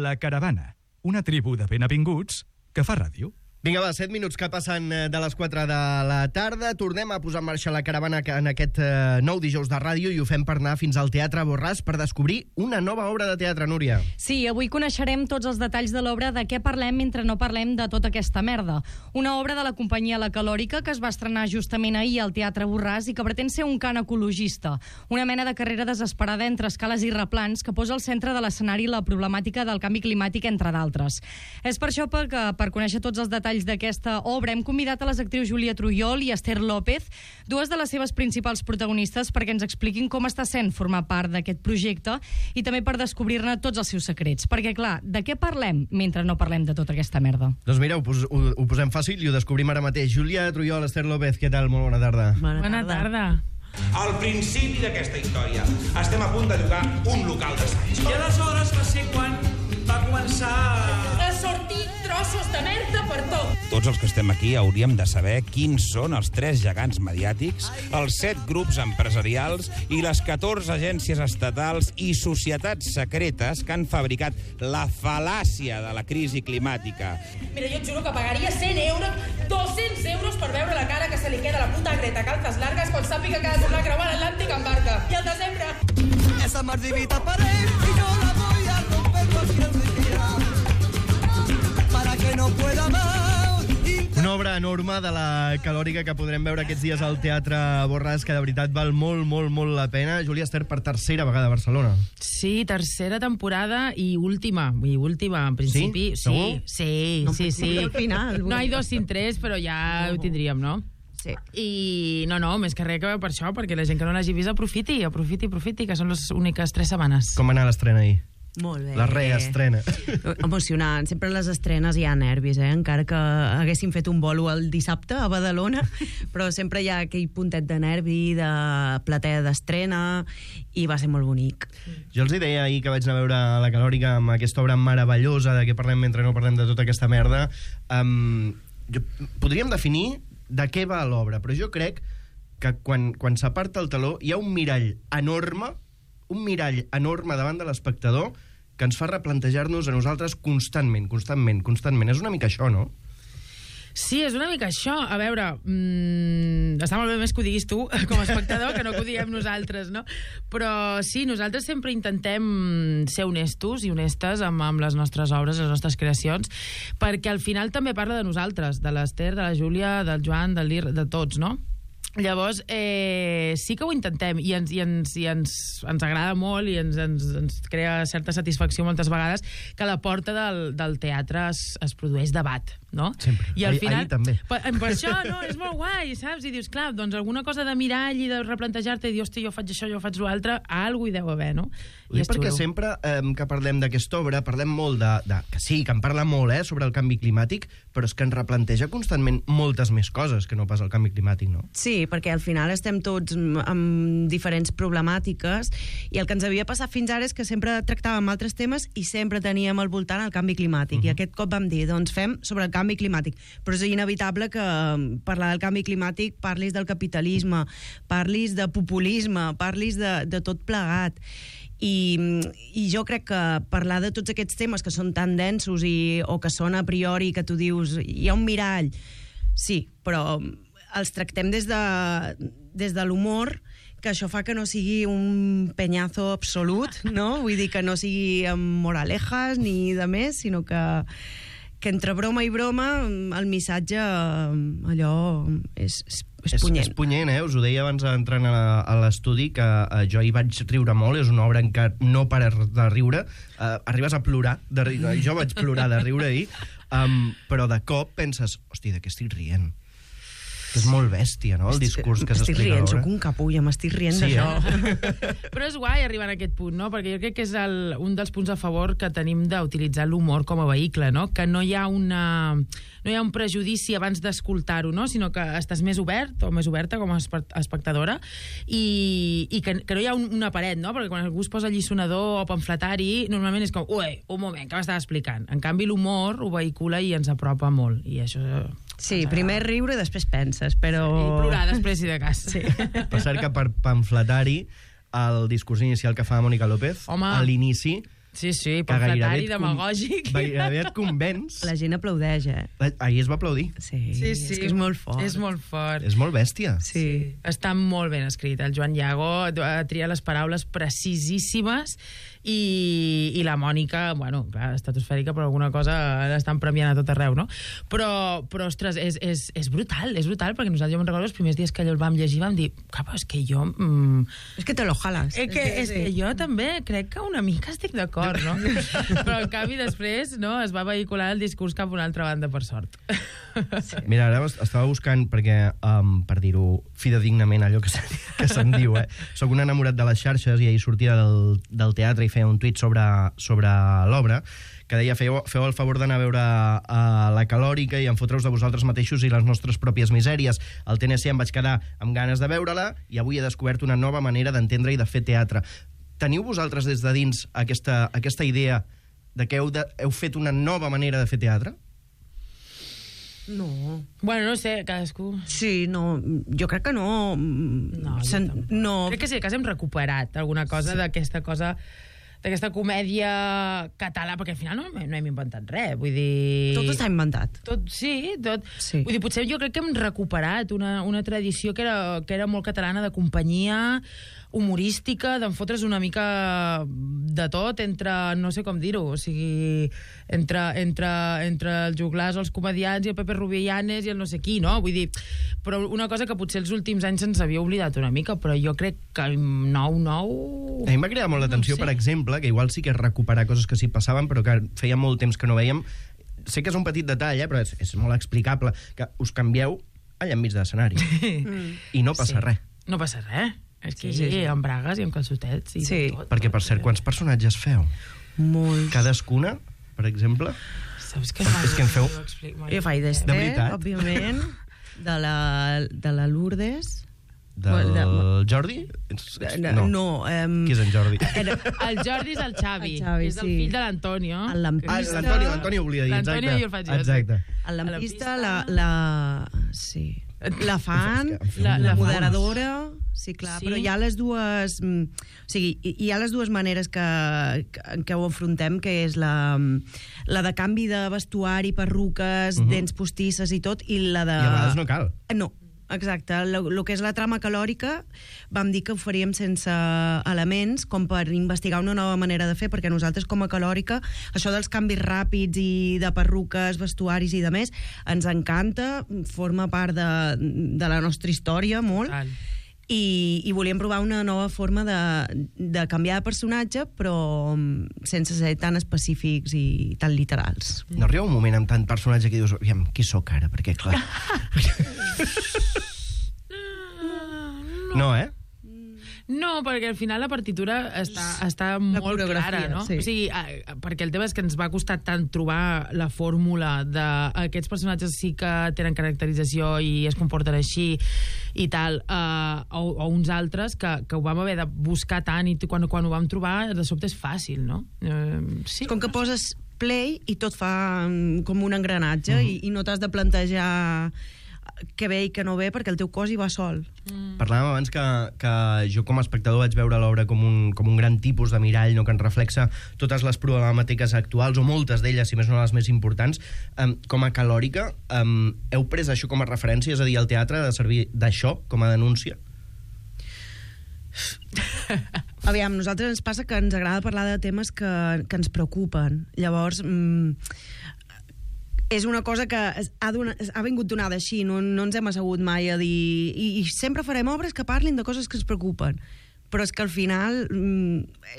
La Caravana, una tribu de benvinguts que fa ràdio. Vinga, va, 7 minuts que passen de les 4 de la tarda. Tornem a posar en marxa la caravana en aquest nou dijous de ràdio i ho fem per anar fins al Teatre Borràs per descobrir una nova obra de teatre, Núria. Sí, avui coneixerem tots els detalls de l'obra De què parlem mentre no parlem de tota aquesta merda. Una obra de la companyia La Calòrica que es va estrenar justament ahir al Teatre Borràs i que pretén ser un cant ecologista. Una mena de carrera desesperada entre escales i replans que posa al centre de l'escenari la problemàtica del canvi climàtic, entre d'altres. És per això que, per conèixer tots els detalls d'aquesta obra, hem convidat a les actrius Júlia Trujol i Esther López, dues de les seves principals protagonistes, perquè ens expliquin com està sent formar part d'aquest projecte i també per descobrir-ne tots els seus secrets. Perquè, clar, de què parlem mentre no parlem de tota aquesta merda? Doncs mira, ho posem fàcil i ho descobrim ara mateix. Júlia Trujol, Esther López, què tal? Molt bona tarda. Bona tarda. Al principi d'aquesta història estem a punt de llogar un local d'assaig. I aleshores va ser quan va començar a sortir trossos de merda per tot. Tots els que estem aquí hauríem de saber quins són els 3 gegants mediàtics, els 7 grups empresarials i les 14 agències estatals i societats secretes que han fabricat la fal·làcia de la crisi climàtica. Mira, jo et juro que pagaria 100 euros, 200 euros per veure la cara que se li queda a la puta Greta Calzas largues quan sàpiga que ha de tornar a creuar l'Atlàntic en barca. I al desembre... Esa mardivita para él y yo la voy a romper cualquier día para que no pueda más. Una obra enorme de la Calòrica que podrem veure aquests dies al Teatre Borràs, que de veritat val molt, molt, molt la pena. Júlia, Esther, per tercera vegada a Barcelona. Sí, tercera temporada i última. En principi. Sí? Sí. No, sí. al final. No hi 2 sin 3, però ja ho tindríem, no? Sí. I no, més que res que veu per això, perquè la gent que no l'hagi vist aprofiti, que són les úniques 3 setmanes. Com va anar l'estrena ahir? Molt bé. La reestrena. Emocionant. Sempre a les estrenes hi ha nervis, encara que haguéssim fet un bolo el dissabte a Badalona, però sempre hi ha aquell puntet de nervi, de platea d'estrena, i va ser molt bonic. Jo els deia ahir que vaig anar a veure la Calòrica amb aquesta obra meravellosa de què parlem mentre no parlem de tota aquesta merda. Podríem definir de què va l'obra, però jo crec que quan s'aparta el teló hi ha un mirall enorme davant de l'espectador que ens fa replantejar-nos a nosaltres constantment. És una mica això, no? Sí, és una mica això. A veure, està molt bé més que ho diguis tu com a espectador que no que ho diguem nosaltres, no? Però sí, nosaltres sempre intentem ser honestos i honestes amb les nostres obres, les nostres creacions, perquè al final també parla de nosaltres, de l'Esther, de la Júlia, del Joan, del Lir, de tots, no? Llavors, sí que ho intentem i ens agrada molt i ens crea certa satisfacció moltes vegades que a la porta del teatre es produeix debat, no? Sempre. I al final, ahir també. Per això, no, és molt guai, saps? I dius, clar, doncs alguna cosa de mirall i de replantejar-te i dir, hosti, jo faig això, jo faig l'altre, alguna hi deu haver, no? I és perquè sempre que parlem d'aquesta obra parlem molt que sí, que en parla molt sobre el canvi climàtic, però és que ens replanteja constantment moltes més coses que no pas el canvi climàtic, no? Sí, perquè al final estem tots amb diferents problemàtiques i el que ens havia passat fins ara és que sempre tractàvem altres temes i sempre teníem al voltant el canvi climàtic. I aquest cop vam dir, doncs fem sobre el canvi climàtic. Però és inevitable que parlar del canvi climàtic parlis del capitalisme, parlis de populisme, parlis de tot plegat. I jo crec que parlar de tots aquests temes que són tan densos o que són a priori que tu dius hi ha un mirall, sí, però els tractem des de l'humor, que això fa que no sigui un penyazo absolut, no? Vull dir que no sigui amb moralejas ni de més, sinó que entre broma i broma el missatge allò és punyent. És punyent, Us ho deia abans d'entrar a l'estudi, que jo hi vaig riure molt, és una obra en què no pares de riure, arribes a plorar, jo vaig plorar de riure ahir, però de cop penses, hosti, de què estic rient? És molt bèstia, no?, el discurs que s'explica a l'obra. Estic rient, soc un capulla, m'estic rient d'això. Però és guai arribar a aquest punt, no?, perquè jo crec que és un dels punts a favor que tenim d'utilitzar l'humor com a vehicle, no?, que no hi ha un prejudici abans d'escoltar-ho, no?, sinó que estàs més obert o més oberta com a espectadora i que no hi ha una paret, no?, perquè quan algú es posa lliçonador o pamfletari, normalment és com, ui, un moment, què m'estàs explicant? En canvi, l'humor ho vehicula i ens apropa molt, i això... Sí, primer riure i després penses, però... I plorar després, si de cas. Sí. Per cert que per pamfletari, el discurs inicial que fa Mònica López, home, a l'inici, Sí, sí, que gairebé pamfletari, et demagògic. Gairebé et convenç. La gent aplaudeix, Ahir es va aplaudir. Sí, Sí, és que és molt fort. És molt fort. És molt bèstia. Sí. Està molt ben escrit. El Joan Iago tria les paraules precisíssimes i la Mònica, bueno, clar, estratosfèrica, però alguna cosa l'estan premiant a tot arreu, no? Però ostres, és brutal, perquè nosaltres, jo me'n recordo els primers dies que el vam llegir, vam dir, capa, és que jo... És que te lo jalas. És que jo també crec que una mica estic d'acord, no? Però en canvi després no, es va vehicular el discurs cap a una altra banda, per sort. Mira, ara estava buscant, perquè, per dir-ho fidedignament, allò que se'n diu, soc un enamorat de les xarxes i ahir sortia del teatre i feia un tuit sobre l'obra que deia, feu el favor d'anar a veure la Calòrica i enfotre-us de vosaltres mateixos i les nostres pròpies misèries. Al TNC em vaig quedar amb ganes de veure-la i avui he descobert una nova manera d'entendre i de fer teatre. Teniu vosaltres des de dins aquesta idea de que heu fet una nova manera de fer teatre? No. Bueno, no sé, cadascú... Sí, no, jo crec que no. No, no. Crec que sí, que hem recuperat alguna cosa d'aquesta comèdia català, perquè al final no hem inventat res, vull dir... Tot està inventat. Tot, sí, tot. Sí. Vull dir, potser jo crec que hem recuperat una tradició que era molt catalana, de companyia, humorística, d'enfotre's una mica de tot entre, no sé com dir-ho, o sigui, entre els joglars, els comediants i el Pepe Rubillanes i el no sé qui, no? Vull dir, però una cosa que potser els últims anys se'ns havia oblidat una mica, però jo crec que el nou... A mi m'ha cridat molt l'atenció, No ho sé. per exemple, que igual sí que és recuperar coses que sí passaven, però que feia molt temps que no veiem. Sé que és un petit detall, però és molt explicable, que us canvieu allà enmig de l'escenari. I no passa res. No passa res. És que Sí. amb bragues i amb calçotets i Sí. de tot. Perquè, per cert, quants personatges feu? Molts. Cadascuna, per exemple? Saps que És que em feu- Jo faig d'Ester, De veritat? òbviament, de la Lourdes. Del Jordi? No. Qui és en Jordi? El Jordi és el Xavi, El Xavi, que és el sí. fill de l'Antonio. El lampista. L'Antoni oblida dir, exacte. L'Antonio jo el faig jo. Exacte. El lampista, La sí. La fan, És que em feu la un moderadora, sí, clar, Sí. però hi ha les dues... O sigui, hi ha les dues maneres en què ho enfrontem, que és la de canvi de vestuari, perruques, dents postisses i tot, i la de... I a vegades no cal. No, exacte. El que és la trama calòrica vam dir que ho faríem sense elements, com per investigar una nova manera de fer, perquè nosaltres com a calòrica, això dels canvis ràpids i de perruques, vestuaris i de més, ens encanta, forma part de la nostra història molt, Total. i volíem provar una nova forma de canviar de personatge, però sense ser tan específics i tan literals. No arriba un moment amb tant personatge que dius, aviam, qui sóc ara? Perquè, clar... No, eh? No, perquè al final la partitura està molt coreografia, clara, no? sí. O sigui, perquè el tema és que ens va costar tant trobar la fórmula d'aquests personatges sí que tenen caracterització i es comporten així i tal, o uns altres que ho vam haver de buscar tant i quan ho vam trobar, de sobte és fàcil, no? Sí. Com que poses play i tot fa com un engranatge i no t'has de plantejar què ve i què no ve perquè el teu cos hi va sol. Parlàvem abans que jo com a espectador vaig veure l'obra com un gran tipus de mirall, no, que ens reflexa totes les problemàtiques actuals, o moltes d'elles, si més no les més importants. Com a calòrica, heu pres això com a referència? És a dir, el teatre ha de servir d'això, com a denúncia? Aviam, a nosaltres ens passa que ens agrada parlar de temes que ens preocupen. Llavors, és una cosa que ha vingut donada així, no ens hem assegut mai a dir... I sempre farem obres que parlin de coses que ens preocupen. Però és que al final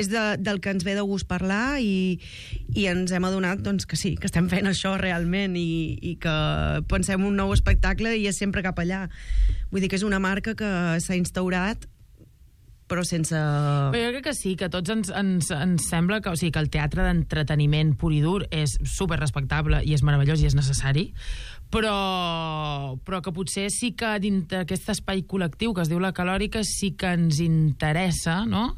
és del que ens ve de gust parlar i ens hem adonat doncs, que sí, que estem fent això realment i que pensem un nou espectacle i és sempre cap allà. Vull dir que és una marca que s'ha instaurat però sense... Però jo crec que sí, que a tots ens sembla que, o sigui, que el teatre d'entreteniment pur i dur és super respectable i és meravellós i és necessari, però que potser sí que dintre d'aquest espai col·lectiu que es diu la calòrica sí que ens interessa, no?,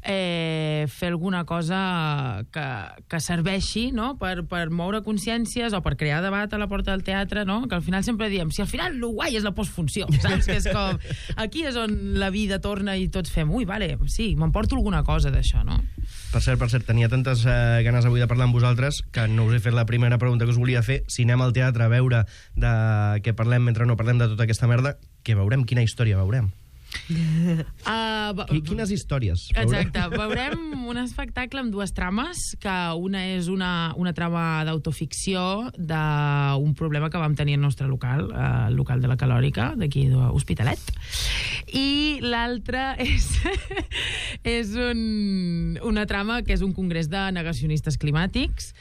fer alguna cosa que serveixi, no?, per moure consciències o per crear debat a la porta del teatre, no?, que al final sempre diem, si al final el guai és la postfunció, saps? Que és com, aquí és on la vida torna i tots fem, ui, vale, sí, m'emporto alguna cosa d'això, no? Per cert, tenia tantes ganes avui de parlar amb vosaltres que no us he fet la primera pregunta que us volia fer. Si anem al teatre a veure de què parlem mentre no parlem de tota aquesta merda, què veurem? Quina història veurem? Quines històries veurem? Exacte, veurem un espectacle amb dues trames, que una és una trama d'autoficció d'un problema que vam tenir al nostre local, el local de la Calòrica, d'aquí d'Hospitalet, i l'altra és una trama que és un congrés de negacionistes climàtics,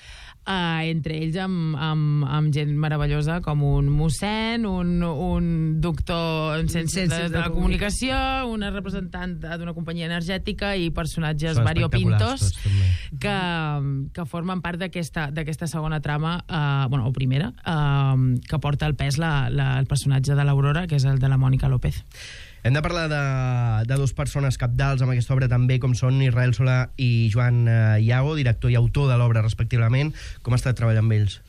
entre ells amb gent meravellosa com un mossèn, un doctor en ciències de la comunicació, una representant d'una companyia energètica i personatges variopintos que formen part d'aquesta segona trama, o primera, que porta al pes el personatge de l'Aurora, que és el de la Mònica López. Hem de parlar de dues persones capdals amb aquesta obra també, com són Israel Solà i Joan Iago, director i autor de l'obra respectivament. Com ha estat treballar amb ells?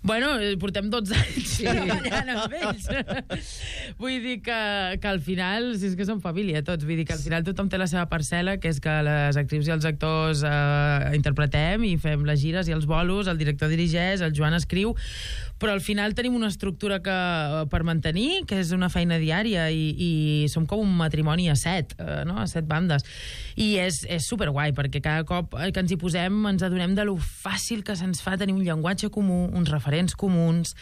Bueno, portem 12 anys treballant amb ells. Vull dir que al final, si és que som família tots, vull dir que al final tothom té la seva parcel·la, que és que les actrius i els actors interpretem i fem les gires i els bolos, el director dirigeix, el Joan escriu, però al final tenim una estructura per mantenir, que és una feina diària, i som com un matrimoni a 7 bandes. I és superguai, perquè cada cop que ens hi posem ens adonem de lo fàcil que se'ns fa tenir un llenguatge comú, uns referents comuns.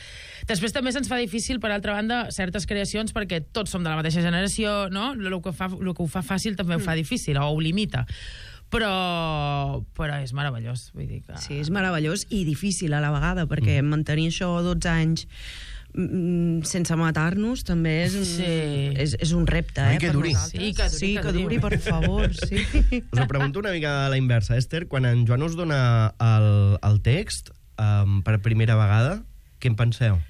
Després també se'ns fa difícil, per altra banda, certes creacions, perquè tots som de la mateixa generació, no? El que ho fa fàcil també ho fa difícil, o ho limita. Però és meravellós, vull dir que... Sí, és meravellós i difícil a la vegada, perquè mantenir això 12 anys sense matar-nos també és un repte, Oi, que duri. Sí, que duri, per favor. Sí. Us ho pregunto una mica a la inversa, Esther. Quan en Joan us dona el text per primera vegada, què en penseu?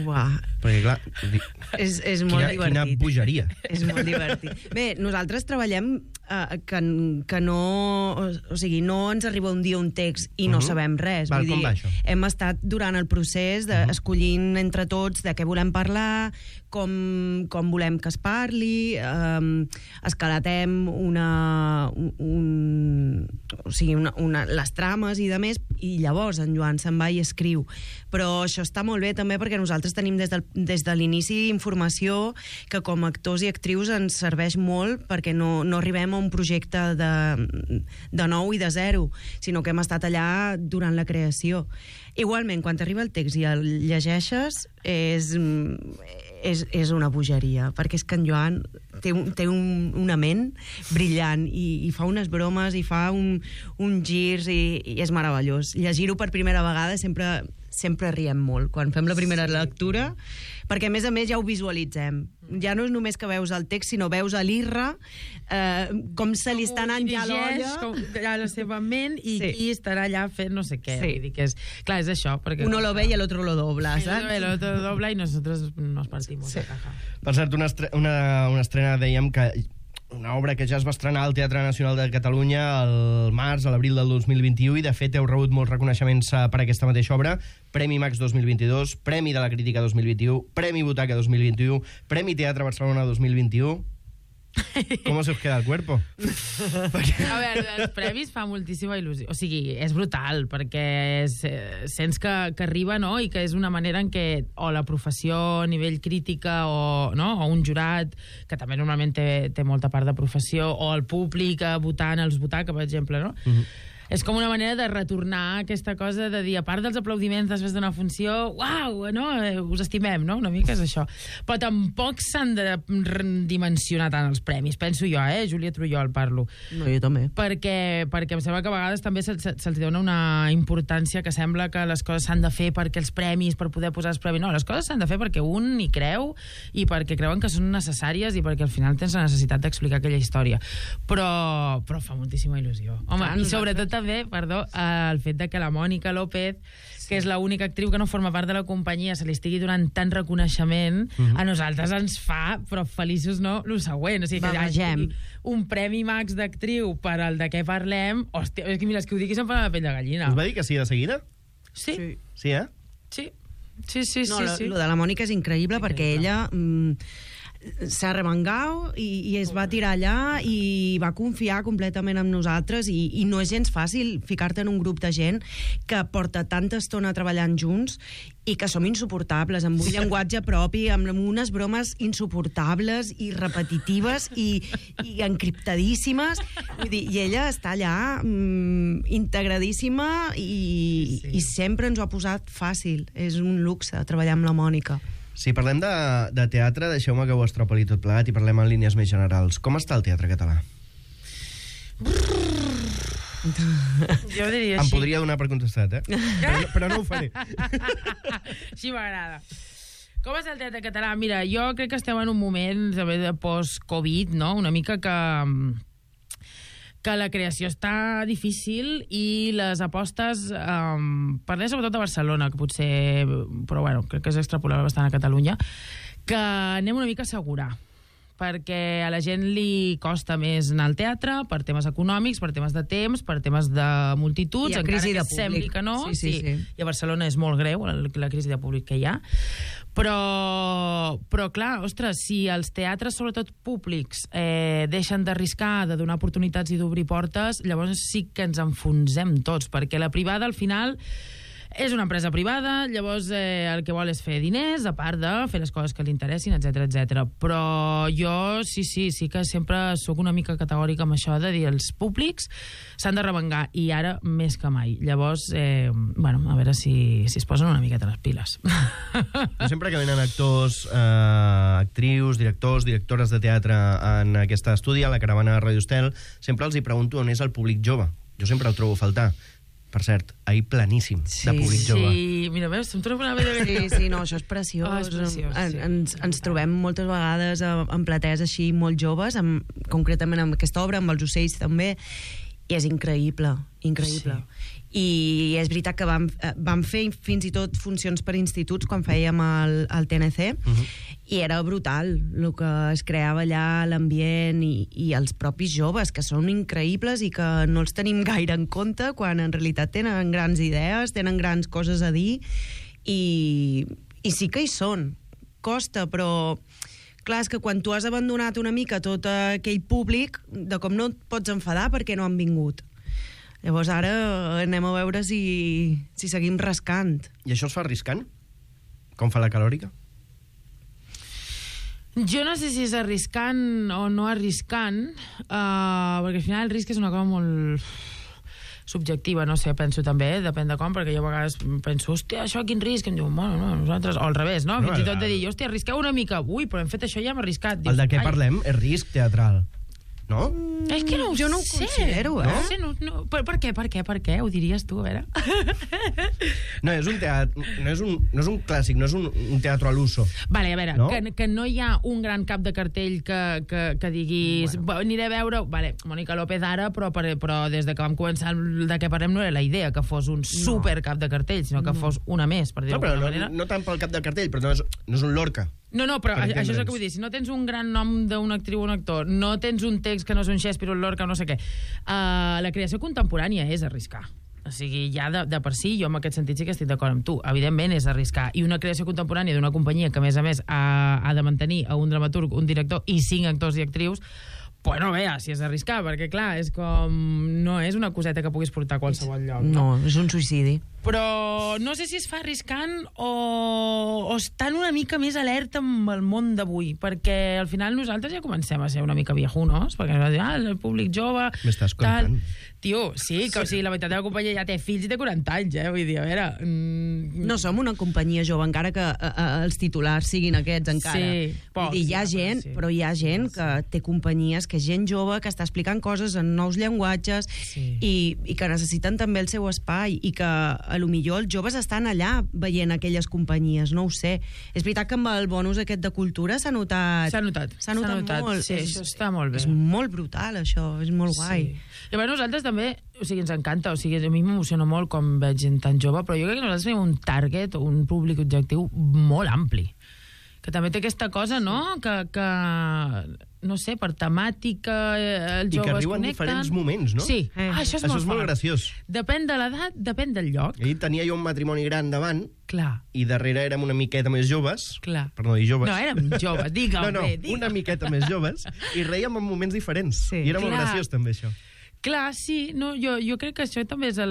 Uah. Perquè, clar... És molt divertit. Quina bogeria. És molt divertit. Bé, nosaltres treballem que no... O sigui, no ens arriba un dia un text i no sabem res. Val, com va això? Hem estat durant el procés escollint entre tots de què volem parlar, com volem que es parli, escalatem les trames i de més, i llavors en Joan se'n va i escriu. Però això està molt bé també perquè nosaltres tenim des de l'inici informació que com a actors i actrius ens serveix molt, perquè no arribem a un projecte de nou i de zero, sinó que hem estat allà durant la creació. Igualment, quan t'arriba el text i el llegeixes, és una bogeria, perquè és que en Joan té una ment brillant i fa unes bromes i fa uns girs i és meravellós. Llegir-ho per primera vegada sempre riem molt quan fem la primera lectura, perquè a més ja ho visualitzem. Ja no és només que veus el text, sinó veus a l'Irra com se li està anant ja l'olla. Com a la seva ment i qui estarà allà fent no sé què. Vull dir que clar, és això. Uno lo ve y el otro lo dobla, saps? El otro lo dobla y nosotros nos partimos de caja. Per cert, una estrena, dèiem que una obra que ja es va estrenar al Teatre Nacional de Catalunya al març, a l'abril del 2021, i de fet heu rebut molts reconeixements per aquesta mateixa obra. Premi Max 2022, Premi de la Crítica 2021, Premi Butaca 2021, Premi Teatre Barcelona 2021... ¿Cómo se os queda el cuerpo? A veure, els premis fa moltíssima il·lusió. O sigui, és brutal, perquè sents que arriba, no?, i que és una manera en què o la professió a nivell crítica o un jurat, que també normalment té molta part de professió, o el públic votant els Butaca, per exemple, no? És com una manera de retornar aquesta cosa de dir, a part dels aplaudiments després d'una funció, uau, no? Us estimem, no? Una mica és això. Però tampoc s'han de dimensionar tant els premis, penso jo, Júlia Trullol parlo. No, jo també. Perquè em sembla que a vegades també se'ls dona una importància que sembla que les coses s'han de fer perquè els premis, per poder posar els premis. No, les coses s'han de fer perquè un hi creu i perquè creuen que són necessàries i perquè al final tens la necessitat d'explicar aquella història. Però fa moltíssima il·lusió. Home, i sobretot també, el fet de que la Mònica López, que és l'única actriu que no forma part de la companyia, se li estigui donant tant reconeixement, a nosaltres ens fa, però feliços no, el següent. O sigui, que hi hagi un Premi Max d'actriu per al de què parlem, hòstia, és que mira, és que ho dic i se'm fa la pell de gallina. Us va dir que sí de seguida? Sí. Sí, Sí. Sí. Lo de la Mònica és increïble perquè ella... s'ha remengau i es va tirar allà i va confiar completament en nosaltres i no és gens fàcil ficar-te en un grup de gent que porta tanta estona treballant junts i que som insuportables, amb un llenguatge propi, amb unes bromes insuportables i repetitives i encriptadíssimes. Vull dir, i ella està allà integradíssima i sempre ens ho ha posat fàcil. És un luxe treballar amb la Mònica. Si parlem de teatre, deixeu-me que ho estropoli tot plegat i parlem en línies més generals. Com està el teatre català? Jo diria Em així. podria donar per contestat, però no ho faré. Així m'agrada. Com està el teatre català? Mira, jo crec que estem en un moment de post-Covid, no? Una mica que la creació està difícil i les apostes, parlem sobretot de Barcelona, que potser, però bueno, crec que és extrapolable bastant a Catalunya, que anem una mica a assegurar, perquè a la gent li costa més anar al teatre per temes econòmics, per temes de temps, per temes de multituds, I encara crisi que de públic. sembli que no. Sí. I a Barcelona és molt greu la crisi de públic que hi ha. Però clar, ostres, si els teatres, sobretot públics, deixen d'arriscar, de donar oportunitats i d'obrir portes, llavors sí que ens enfonsem tots, perquè la privada, al final, és una empresa privada, llavors el que vol és fer diners, a part de fer les coses que li interessin, etc. Però jo sí que sempre sóc una mica categòrica amb això de dir els públics s'han de revengar, i ara més que mai. Llavors, a veure si es posen una miqueta les piles. Jo sempre que venen actors, actrius, directores de teatre en aquest estudi, a la caravana de Radio Estel, sempre els hi pregunto on és el públic jove. Jo sempre el trobo a faltar. Per cert, ahir planíssim de públic jove. Sí, mira, veus, em trobo una vegada... Sí, no, això és preciós. És preciós, sí. Ens trobem moltes vegades en platees així molt joves, concretament amb aquesta obra, amb els ocells també, i és increïble. Sí. I és veritat que vam fer fins i tot funcions per instituts quan fèiem el TNC, i era brutal el que es creava allà, l'ambient i els propis joves, que són increïbles i que no els tenim gaire en compte, quan en realitat tenen grans idees, tenen grans coses a dir, i sí que hi són. Costa, però clar, és que quan tu has abandonat una mica tot aquell públic, de com no et pots enfadar perquè no han vingut. Llavors ara anem a veure si seguim rascant. I això es fa arriscant? Com fa la Calòrica? Jo no sé si és arriscant o no arriscant, perquè al final el risc és una cosa molt subjectiva, no sé, penso també, depèn de com, perquè jo a vegades penso, hòstia, això quin risc? Em diuen, bueno, no, nosaltres... O al revés, no? Fins i tot de dir, hòstia, arrisqueu una mica. Ui, però hem fet això, ja hem arriscat. El de què parlem és risc teatral, no? És que no jo no ho considero, eh? No sé, no. Per què? Ho diries tu, a veure? No, és un teatre... No és un clàssic, no és un teatre a l'uso. Vale, a veure, no? Que no hi ha un gran cap de cartell que diguis... Bueno. Aniré a veure... Vale, Mònica López ara, però des de que vam començar de què parlem no era la idea que fos un super cap de cartell, sinó que fos una més, per dir-ho d'alguna manera. No tant pel cap de cartell, però no és un Lorca. No, però això és el que vull dir. Si no tens un gran nom d'una actriu o un actor, no tens un text que no és un Shakespeare o un Lorca o no sé què, la creació contemporània és arriscar. O sigui, ja de per si, jo en aquest sentit sí que estic d'acord amb tu. Evidentment és arriscar. I una creació contemporània d'una companyia que, a més, ha de mantenir a un dramaturg, un director i 5 actors i actrius, pues no veia si és arriscar, perquè clar, és com... No és una coseta que puguis portar a qualsevol lloc. No, és un suïcidi. Però no sé si es fa arriscant o estan una mica més alerta amb el món d'avui, perquè al final nosaltres ja comencem a ser una mica viejunos, perquè ens va dir, el públic jove... M'estàs contant? Tio, sí, que o sigui, la meitat de la companyia ja té fills i té 40 anys, vull dir, a veure... No som una companyia jove, encara que els titulars siguin aquests, encara. Sí, vull dir, hi ha gent, però hi ha gent que té companyies, que és gent jove, que està explicant coses en nous llenguatges i que necessiten també el seu espai, i que a lo millor els joves estan allà veient aquelles companyies, no ho sé. És veritat que amb el bonus aquest de cultura s'ha notat. S'ha notat molt. Sí, això està molt bé. És molt brutal, això, és molt guai. Llavors nosaltres també, o sigui, ens encanta, o sigui, a mi m'emociona molt quan veig gent tan jove, però jo crec que nosaltres tenim un target, un públic objectiu molt ampli, que també té aquesta cosa, no? Que no sé, per temàtica els joves connecten. I que arriben en diferents moments, no? Sí. Això és molt graciós. Depèn de l'edat, depèn del lloc. Ahir tenia jo un matrimoni gran davant, clar, i darrere érem una miqueta més joves, clar, per no dir joves. No, érem joves, digue'm bé. Una miqueta més joves, i reiem en moments diferents. Sí. I era molt graciós, també, això. Clar, sí, no, jo crec que això també és el...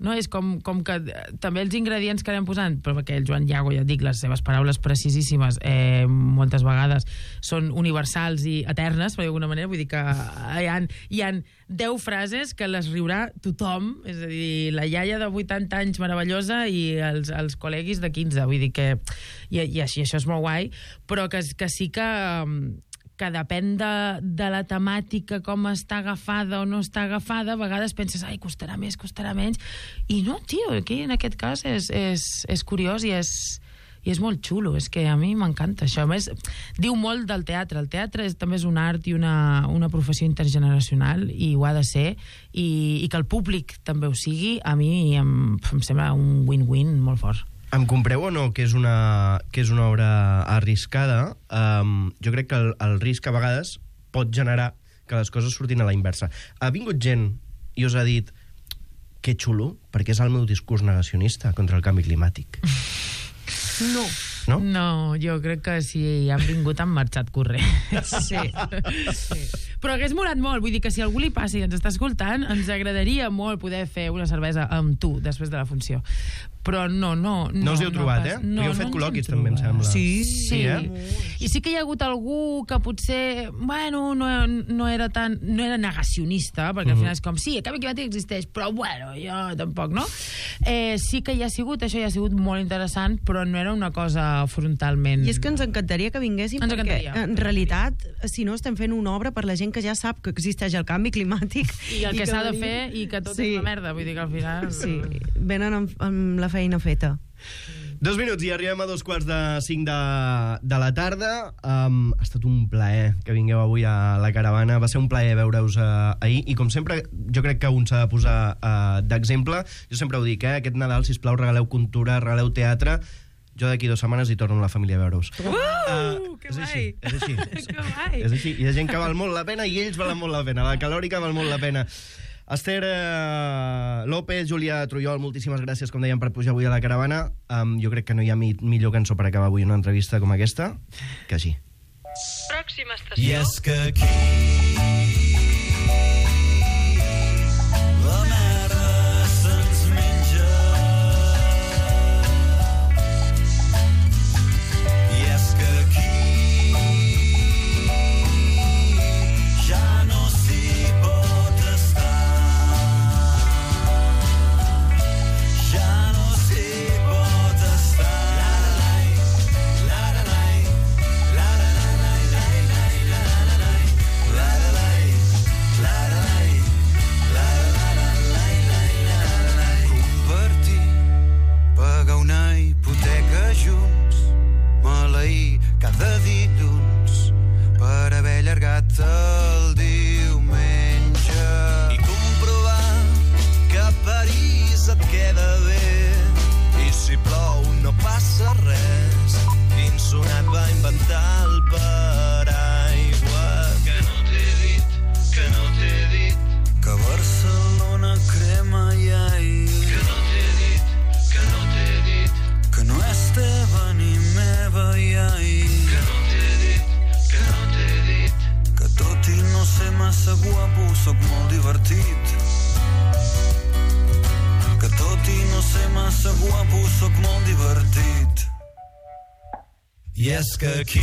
No, és com que també els ingredients que anem posant, però perquè el Joan Iago, ja et dic, les seves paraules precisíssimes moltes vegades són universals i eternes, per d'alguna manera, vull dir que hi ha 10 frases que les riurà tothom, és a dir, la iaia de 80 anys meravellosa i els col·leguis de 15, vull dir que... I això és molt guai, però que sí que depèn de la temàtica, com està agafada o no està agafada, a vegades penses, ai, costarà més, costarà menys, i no, tio, aquí en aquest cas és curiós i és molt xulo, és que a mi m'encanta això. A més, diu molt del teatre. El teatre també és un art i una professió intergeneracional, i ho ha de ser, i que el públic també ho sigui, a mi em sembla un win-win molt fort. Em compreu o no que és una obra arriscada? Jo crec que el risc a vegades pot generar que les coses surtin a la inversa. Ha vingut gent i us ha dit que xulo, perquè és el meu discurs negacionista contra el canvi climàtic. No. No? No, jo crec que si han vingut han marxat corrent. Sí. Però hagués molat molt, vull dir que si algú li passa i ens està escoltant, ens agradaria molt poder fer una cervesa amb tu després de la funció. Però no us hi heu trobat, No, perquè heu fet col·loquis, també, em sembla. Sí. I sí que hi ha hagut algú que potser, bueno, no era negacionista, perquè al final és com, sí, el canvi climàtic existeix, però bueno, jo tampoc, no? Sí que hi ha sigut, això hi ha sigut molt interessant, però no era una cosa frontalment... I és que ens encantaria que vinguéssim, perquè en realitat, si no, estem fent una obra per la gent que ja sap que existeix el canvi climàtic. I el que s'ha de fer, i que tot és una merda, vull dir que al final... Sí, venen amb la feina feta. 2 minuts i arribem a 2:45 de la tarda. Ha estat un plaer que vingueu avui a la caravana. Va ser un plaer veure-us ahir, i com sempre jo crec que un s'ha de posar d'exemple. Jo sempre ho dic, aquest Nadal, sisplau, regaleu cultura, regaleu teatre. Jo d'aquí 2 setmanes hi torno amb la família a veure-us. Que guai! És així. Que guai! És així. Hi ha gent que val molt la pena i ells valen molt la pena. La calòrica val molt la pena. Esther López, Júlia Trullol, moltíssimes gràcies, com dèiem, per pujar avui a la caravana. Jo crec que no hi ha millor cançó per acabar avui una entrevista com aquesta que així. Pròxima estació. I és que aquí la merda se'ns menja. I és que aquí ja no s'hi pot estar. Ja no s'hi pot estar. Convertir, pagar una hipoteca junts, maleir cada dilluns per haver allargat el diumenge i comprovar que a París et queda bé i si plou no passa res. Quin sonat va inventar el paraigua que no t'he dit, que no t'he dit que Barcelona crema i ahir que no t'he dit, que no t'he dit que no és teva ni meva i ahir que no t'he dit, que no t'he dit que tot i no ser massa guapo soc molt divertit que tot i no ser massa guapo soc molt divertit. I és que aquí